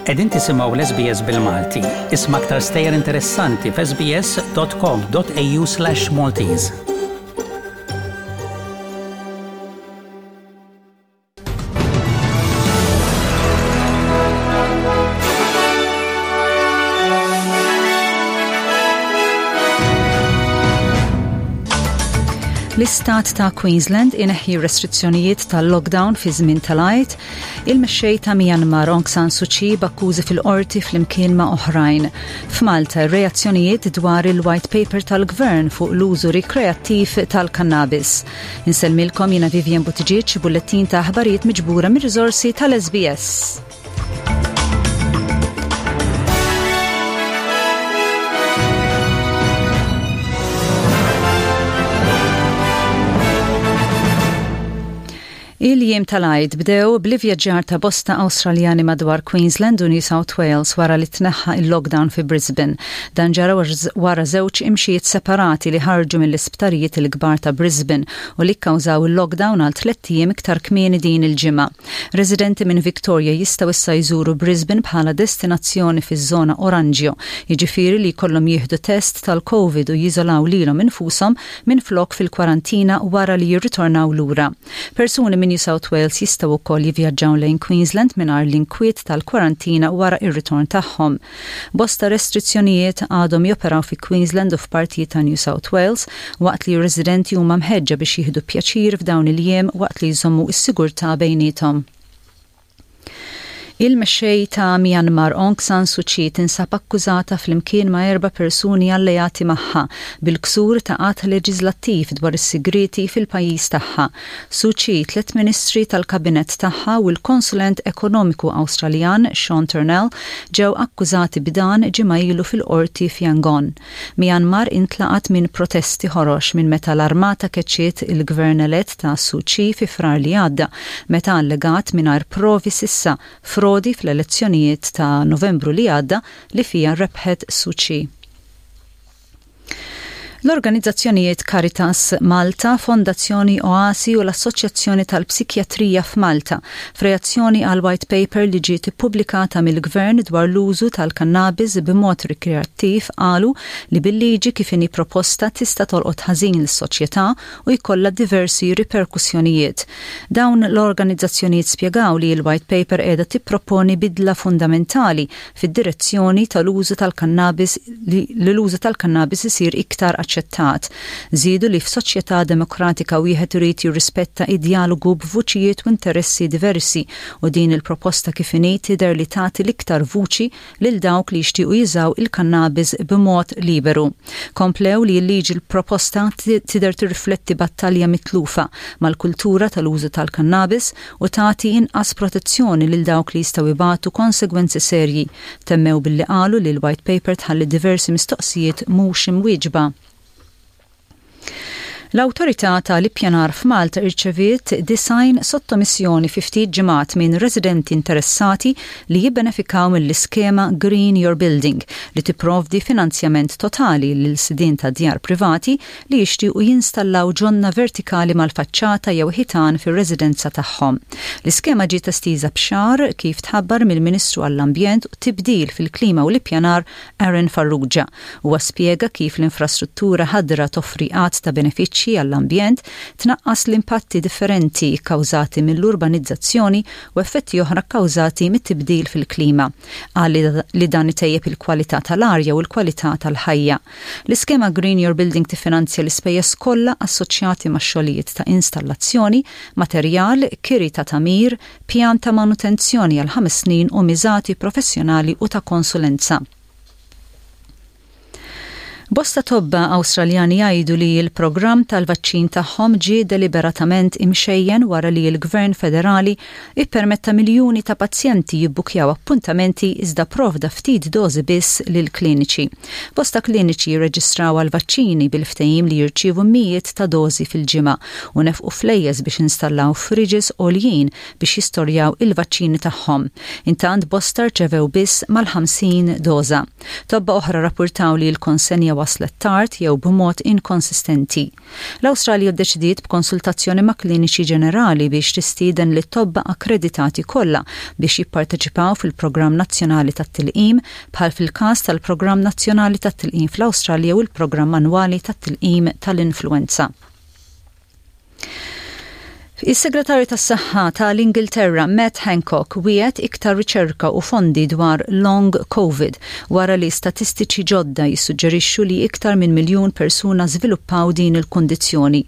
Qegħdin tisimgħu l-SBS bil-Malti. Isma' aktar stejjer interessanti f'sbs.com.au/Maltese. L-istat ta' Queensland ineħħi restrizzjonijiet tal-lockdown fi żmien tal-Għid, il-mexxej ta' Myanmar Aung San Suu Kyi b'akkużi fil-qorti flimkien ma' oħrajn. F'Malta reazzjonijiet dwar il-white paper tal-gvern fuq l-użu rikreattiv tal-kannabis. Insellmilkom jiena Vivian Buttigieg, bullettin ta' aħbarijiet miġbura mir-riżorsi tal-SBS. Il-jiem tal-Għid bdew bl-ivvjaġġar ta' bosta Awstraljani madwar Queensland u New South Wales wara li tneħħa il-lockdown fi Brisbane. Dan ġara wara żewġ imxijiet separati li ħarġu mill-isptarijiet il-kbar ta' Brisbane u li kkawżaw il-lockdown għal tlett ijiem iktar kmieni din il-ġimgħa. Residenti minn Victoria jistgħu issa jżuru Brisbane bħala destinazzjoni fiż-żona oranġjo, jiġifieri li jkollhom jieħdu test tal-Covid u jiżolaw lilhom infushom minflok fil-kwarantina wara li jirritornaw lura. Persuni minn New South Wales jistgħu wkoll jivvjaġġaw lejn Queensland mingħajr l-inkwiet tal-kwarantina wara r-ritorn tagħhom. Bosta restrizzjonijiet għadhom joperaw fi Queensland u f'partijiet ta' New South Wales, waqt li r-residenti huma mħeġġa biex jieħdu pjaċir f'dawn il-jiem waqt li jżommu s-sigurtà bejniethom. Il-mexxej ta' Myanmar Aung San Suu Kyi tinsab akkużata flimkien ma' erba' persuni alleati magħha bil-ksur ta' att leġiżlattiv dwar is-sigrieti fil-pajjiż tagħha. Suu Kyi, tliet ministri tal-kabinett tagħha u l-konsulent ekonomiku Awstraljan Sean Turnell ġew akkużati b'dan ġimgħa ilu fil-qorti f'Yangon. Myanmar intlaqat minn protesti ħorox minn meta l-armata keċċiet il-gvern elett ta' Suu Kyi fi Frar li għadda meta allegat mingħajr provi s'issa frodi fl-elezzjonijiet ta' Novembru li għadda li fiha rebħet Suu Kyi. L-organizzazzjonijiet Caritas Malta, Fondazzjoni Oasi u l-Assoċjazzjoni tal-Psikjatrija f'Malta, f'reazzjoni għal white paper li ġiet ippubblikata mill-Gvern dwar l-użu tal-kannabis b'mod rikreattiv qalu li bil-liġi kif inhi proposta tista' tolqot ħażin lis-soċjetà u jkollha diversi riperkussjonijiet. Dawn l-organizzazzjonijiet spjegaw li l-white paper qiegħda tipproponi bidla fundamentali fid-direzzjoni tal-użu tal-kannabis li l-użu tal-kannabis isir iktar aċċettat. Żiedu li f'soċjetà demokratika wieħed irid jirrispetta id-djalogu b'vuċijiet u interessi diversi u din il-proposta kif inhi tidher li tagħti l-iktar vuċi lil dawk li jixtiequ jużaw il-kannabis b'mod liberu. Komplew li l-liġi l-proposta tidher tirrifletti battalja mitlufa mal-kultura tal-użu tal-kannabis u tagħti inqas protezzjoni lil dawk li jistgħu jbatu konsegwenzi serji. Temmew billi qalu li l-White Paper tħalli diversi mistoqsijiet mhux imwieġba. L-Awtorità ta' l-Ippjanar f'Malta irċeviet 90 sottomissjoni fi ftit ġimgħat minn residenti interessati li jibbenefikaw mill-iskema Green Your Building li tipprovdi finanzjament totali lil sidien ta' djar privati li jixtiequ jinstallaw ġonna vertikali mal-faċċata jew ħitan fir-residenza tagħhom. L-iskema ġiet estiża b'xahar kif tħabbar mill-Ministru għall-Ambjent u Tibdil fil-Klima u l-Ippjanar Aaron Farrugia. Huwa spjega kif l-infrastruttura ħadra toffri għadd ta' benefiċċji għall-ambjent, tnaqqas l-impatti differenti kkawżati mill-urbanizzazzjoni u effetti oħra kkawżati mit-tibdil fil-klima. Qal li dan itejjeb il-kwalità tal-arja u l-kwalità tal-ħajja. L-iskema Green Your Building tiffinanzja l-ispejjeż kollha assoċjati max-xogħlijiet ta' installazzjoni, materjal, kiri ta' tagħmir, pjan ta' manutenzjoni għal ħames snin u miżati professjonali u ta' konsulenza. Bosta tobba Awstraljani jgħidu li l-programm tal-vaċċin tagħhom ġie deliberatament imxejjen wara li l-Gvern Federali ippermetta miljuni ta' pazjenti jibbukjaw appuntamenti iżda pprovda ftit dożi biss lill-kliniċi. Bosta kliniċi jirreġistraw għall-vaċċini bil-ftehim li jirċievu mijiet ta' dożi fil-ġimgħa u nefqu flejjes biex installaw fridges għoljin biex jistorjaw il-vaċċini tagħhom. Intant bosta rċevew biss mal-50 doża. Tobba oħra rrappurtaw li l-konsenja. waslet tard jew b'mod inkonsistenti. L-Awstralja ddeċidiet b'konsultazzjoni ma' kliniċi ġenerali biex tistieden lit-tobba akkreditati kollha biex jipparteċipaw fil-programm nazzjonali tat-tilqim bħal fil-każ tal-programm nazzjonali tat-tilqim fl-Awstralja u l-programm annwali tat-tilqim tal-influwenza. Is-Segretarju tas-Saħħa ta' l-Ingilterra Matt Hancock wiegħed iktar riċerka u fondi dwar Long Covid wara li statistiċi ġodda jissuġġerixxu li iktar minn miljun persuna żviluppaw din il-kundizzjoni.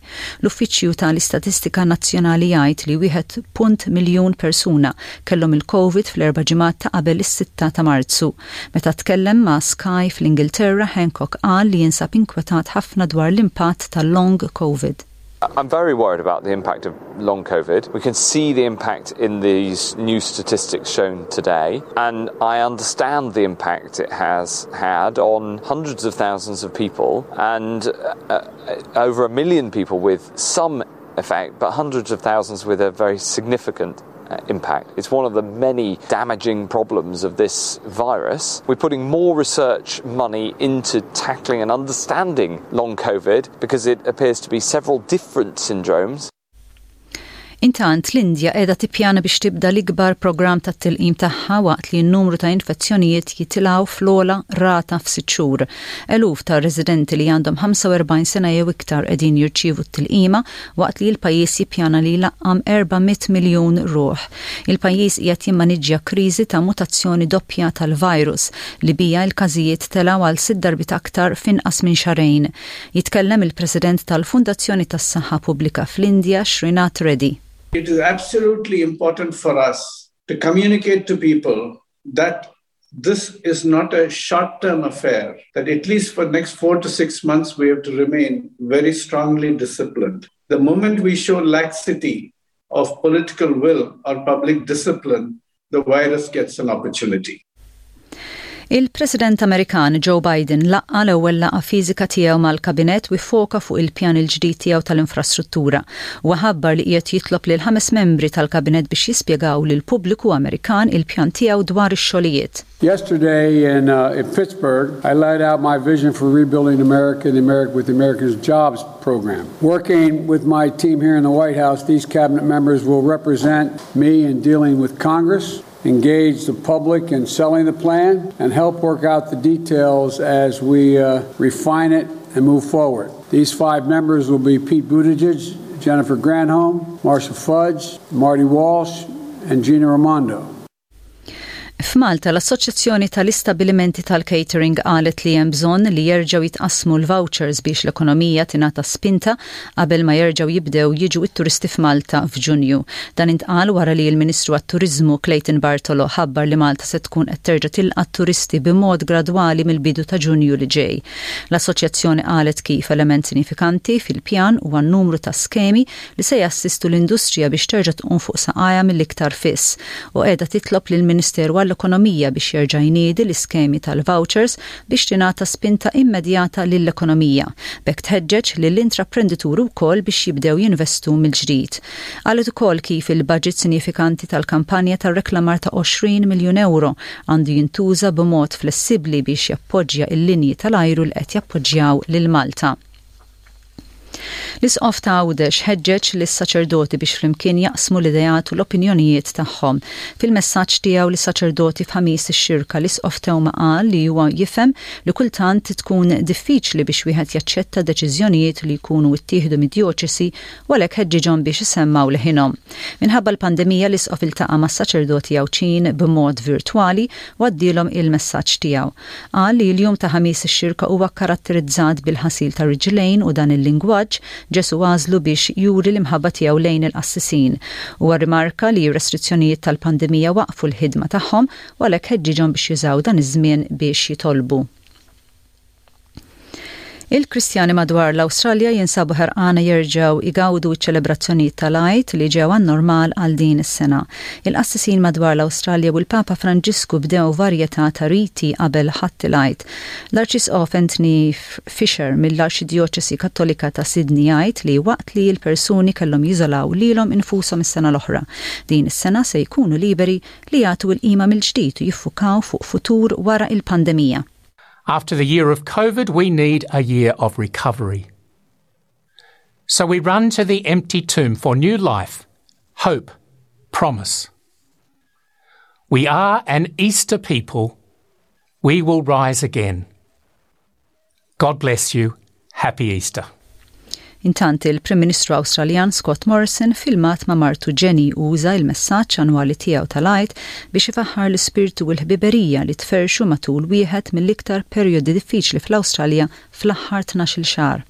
L-Uffiċċju ta' l-Istatistika Nazzjonali jgħid li wieħed punt miljun persuna kellhom il-Covid fl-erba' ġimgħat ta' qabel is-sitta ta' Marzu. Meta tkellem ma' Sky fl-Ingilterra, Hancock qal li jinsab inkwetat ħafna dwar l-impatt tal-Long Covid. I'm very worried about the impact of long COVID. We can see the impact in these new statistics shown today, and I understand the impact it has had on hundreds of thousands of people and uh, over a million people with some effect, but hundreds of thousands with a very significant uh, impact. It's one of the many damaging problems of this virus. We're putting more research money into tackling and understanding long COVID because it appears to be several different syndromes. Intant, l-Indja qiegħda tippjana biex tibda l-ikbar programm tat-tilqim tagħha waqt li n-numru ta' infezzjonijiet jitilgħu fl-ogħla rata f'sitt xhur. Eluf ta' residenti li għandhom 45 sena jew iktar qegħdin jirċievu t-tilqima waqt li l-pajjiż jippjana li jlaqqam 400 miljun ruħ. Il-pajjiż qiegħed jimmaniġġja kriżi ta' mutazzjoni doppja tal-virus li biha l-każijiet telgħu għal sitt darbiet aktar f'inqas minn xahrejn. Jitkellem il-President tal-Fundazzjoni tas-Saħħa Pubblika fl-Indja, Srinath Reddy. It is absolutely important for us to communicate to people that this is not a short-term affair, that at least for the next four to six months, we have to remain very strongly disciplined. The moment we show laxity of political will or public discipline, the virus gets an opportunity. Il-President Amerikan Joe Biden laqqa' l-ewwel laqgħa fiżika tiegħu mal-Kabinett u ffoka fuq il-pjan il-ġdid tiegħu tal-infrastruttura. Huwa ħabbar li qiegħed jitlob lil ħames membri tal-Kabinett biex jispjegaw lill-pubbliku Amerikan il-pjan tiegħu dwar ix-xogħlijiet. Yesterday in, uh, in Pittsburgh, I laid out my vision for rebuilding America and America with the America's Jobs Program. Working with my team here in the White House, these cabinet members will represent me in dealing with Congress, engage the public in selling the plan, and help work out the details as we uh, refine it and move forward. These five members will be Pete Buttigieg, Jennifer Granholm, Marcia Fudge, Marty Walsh, and Gina Raimondo. F'Malta, l-Assoċjazzjoni tal-Istabbilimenti tal-Catering qalet li hemm bżonn li jerġgħu jitqassmu l-vouchers biex l-ekonomija tingħata spinta qabel ma jerġgħu jibdew jiġu t-turisti f'Malta f'Ġunju. Dan intqal wara li l-Ministru għat-Turiżmu Clayton Bartolo ħabbar li Malta se tkun qed terġa' tilqa' t-turisti b'mod gradwali mill-bidu ta' Ġunju li ġej. L-Assoċjazzjoni qalet kif element sinifikanti fil-pjan huwa n-numru ta' skemi li se jassistu l-industrija biex terġa' tqum fuq saqajha mill-iktar fis u qiegħda titlob lill-Ministeru għall-Ekonomija biex jerġa' jniedi l-iskemi tal-vouchers biex tingħata spinta immedjata lill-ekonomija. B'hekk tħeġġeġ lill-intraprendituri wkoll biex jibdew jinvestu mill-ġdid. Qalet ukoll kif il-baġit sinjifikanti tal-kampanja ta' reklamar ta' 20 miljun ewro għandu jintuża b'mod flessibbli biex jappoġġja l-linji tal-ajru li qed jappoġġjaw lil Malta. L-Isqof ta' Għawdex ħeġġeġ lis-saċerdoti biex flimkien jaqsmu l-ideat u l-opinjonijiet tagħhom. Fil-messaġġ tiegħu lis-saċerdoti f'Ħamis ix-Xirka l-Isqof Teuma qal li huwa jifhem li kultant tkun diffiċli biex wieħed jaċċetta deċiżjonijiet li jkunu ttieħdu mid-djoċesi u għalhekk ħeġġiġhom biex isemmgħu leħinhom. Minħabba l-pandemija l-Isqof iltaqa' mas-saċerdoti Għawdxin b'mod virtwali u għaddielhom il-messaġġ tiegħu. Qal li l-jum ta' Ħamis ix-Xirka huwa kkaratterizzat bil-ħasil tar-riġlejn u dan il-lingwaġġ Ġesù għażlu biex juri l-imħabba tiegħu lejn il-qassisin. Huwa rrimarka li r-restrizzjonijiet tal-pandemija waqqfu l-ħidma tagħhom u għalhekk ħeġġiġhom biex jużaw dan iż-żmien biex jitolbu. Il-Kristjani madwar l-Awstralja jinsabu ħerqana jerġgħu jgawdu ċ-ċelebrazzjonijiet tal-Għid li ġew għan-normal għal din is-sena. Il-qassisin madwar l-Awstralja u l-Papa Franġisku bdew varjetà ta' riti qabel Ħadd il-Għid. L-Arċisqof Anthony Fisher mill-Arċidjoċesi Kattolika ta' Sydney jgħid li waqt li l-persuni kellhom jiżolaw lilhom infushom is-sena l-oħra, din is-sena se jkunu liberi li jagħtu l-qima mill-ġdid u jiffukaw fuq futur wara l-pandemija. After the year of COVID, we need a year of recovery. So we run to the empty tomb for new life, hope, promise. We are an Easter people. We will rise again. God bless you. Happy Easter. Intant il-Prim Ministru Awstraljan Scott Morrison filmat ma' martu Jenny uża il-messaġġ annwali tiegħu tal-Għid biex ifaħħar l-ispirtu u l-ħbiberija li tferrxu matul wieħed mill-iktar perjodi diffiċli fl-Awstralja fl-aħħar 12-il xahar.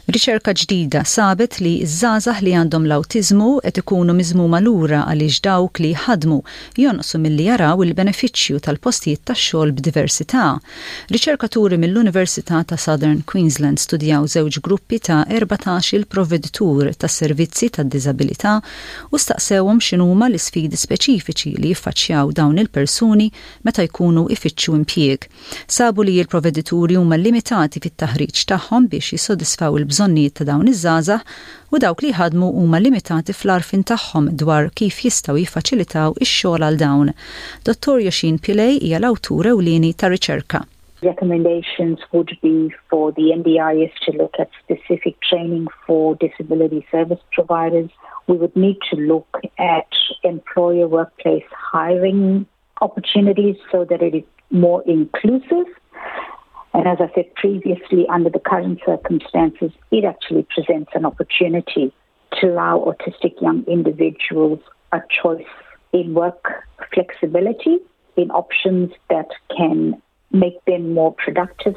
Riċerka ġdida sabet li ż-żgħażagħ li għandhom l-awtiżmu qed ikunu miżmuma lura għaliex dawk li jħaddmu jonqsu milli jaraw il-benefiċċju tal-postijiet tax-xogħol b'diversità. Riċerkaturi mill-Università ta' Southern Queensland studjaw żewġ gruppi ta' 14-il provveditur tas-servizzi tad-diżabilità u staqsewhom x'inhuma l-isfidi speċifiċi li jiffaċċjaw dawn il-persuni meta jkunu jfittxu impjieg. Sabu li l-provvedituri huma limitati fit-taħriġ tagħhom biex jissodisfaw il-bżonnijiet ta' dawn iż-żgħażagħ u dawk li jħaddmu huma limitati fl-għarfien tagħhom dwar kif jistgħu jiffaċilitaw ix-xogħol għal dawn. Dottor Yosheen Pillay hija l-awtur ewlieni tar-riċerka. Recommendations would be for the NDIS to look at specific training for disability service providers. We would need to look at employer workplace hiring opportunities so that it is more inclusive. And as I said previously, under the current circumstances, it actually presents an opportunity to allow autistic young individuals a choice in work flexibility, in options that can make them more productive.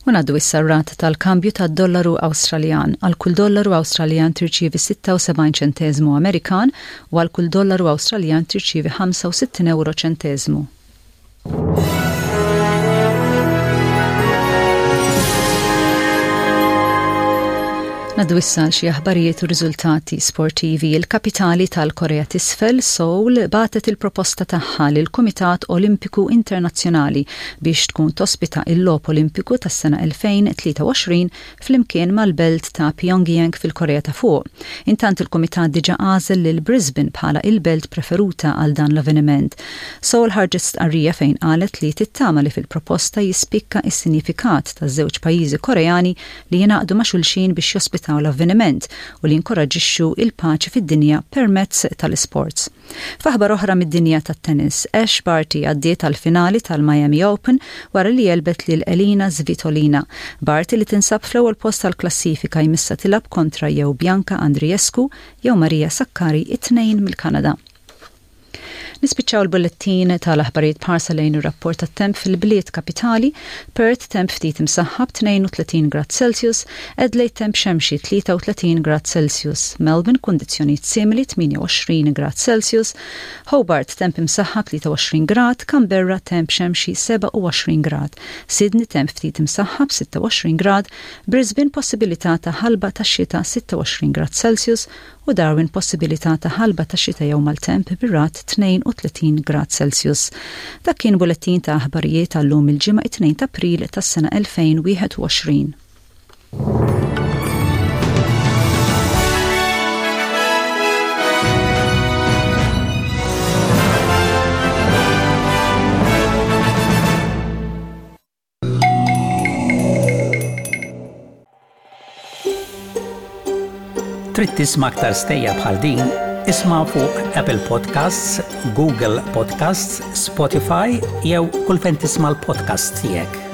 U ngħaddu issa r-rata tal-kambju tad-dollaru Awstraljan. Għal kull dollaru Awstraljan tirċievi 76 ċenteżmu Amerikan u għal kull dollaru Awstraljan tirċievi 65 ewro ċenteżmu. Naddu issa għal xi aħbarijiet u riżultati sportivi. Il-kapitali tal-Korea t'Isfel, Seoul, bagħtet il-proposta tagħha lill-Kumitat Olimpiku Internazzjonali biex tkun tospita il-Logħob Olimpiku tas-sena 2023 flimkien mal-belt ta' Pyongyang fil-Korea ta' Fuq. Intant il-Kumitat diġà għażel lil Brisbane bħala il-belt preferuta għal dan l-avveniment. Seoul ħarġet stqarrija fejn qalet li tittama li fil-proposta jispikka s-sinjifikat taż-żewġ pajjiżi Koreani li jingħaqdu ma' xulxin biex jospitaw l-avveniment u li jinkoraġġixxu l-paċi fid-dinja permezz tal-isports. F'aħbar oħra mid-dinja tat-tennis, Ash Barty għaddiet għall-finali tal-Miami Open wara li għelbet lil Elina Svitolina. Barty li tinsab fl-ewwel post tal-klassifika jmissha tilgħab kontra jew Bianca Andreescu jew Maria Sakkari it-tnejn mill-Kanada. Nispiċċaw il-bullettin tal-aħbarijiet b'ħarsa lejn ir-rapport tat-temp fil-bliet kapitali, Perth temp ftit imsaħħab 32 grad Celsius, Adelaide temp xemxi 33 grad Celsius, Melbourne kundizzjonijiet simili 28 grad Celsius, Hobart temp imsaħħab 23 grad, Canberra temp xemxi 27 grad, Sydney temp ftit imsaħħab 26 grad, Brisbane possibilità ta' ħalba tax-xita 26 grad Celsius, u Darwin possibilità ta' ħalba ta' xita jew maltemp bir-ragħad 32 grad Celsius. Dak kien bulettin ta' aħbarijiet għal-lum il-Ġimgħa it-2 t'April tas-sena 2021. Trid tisma' aktar stejjer bħal din? Isma' fuq Apple Podcasts, Google Podcasts, Spotify jew kull fejn tisma' l-podcasts tiegħek.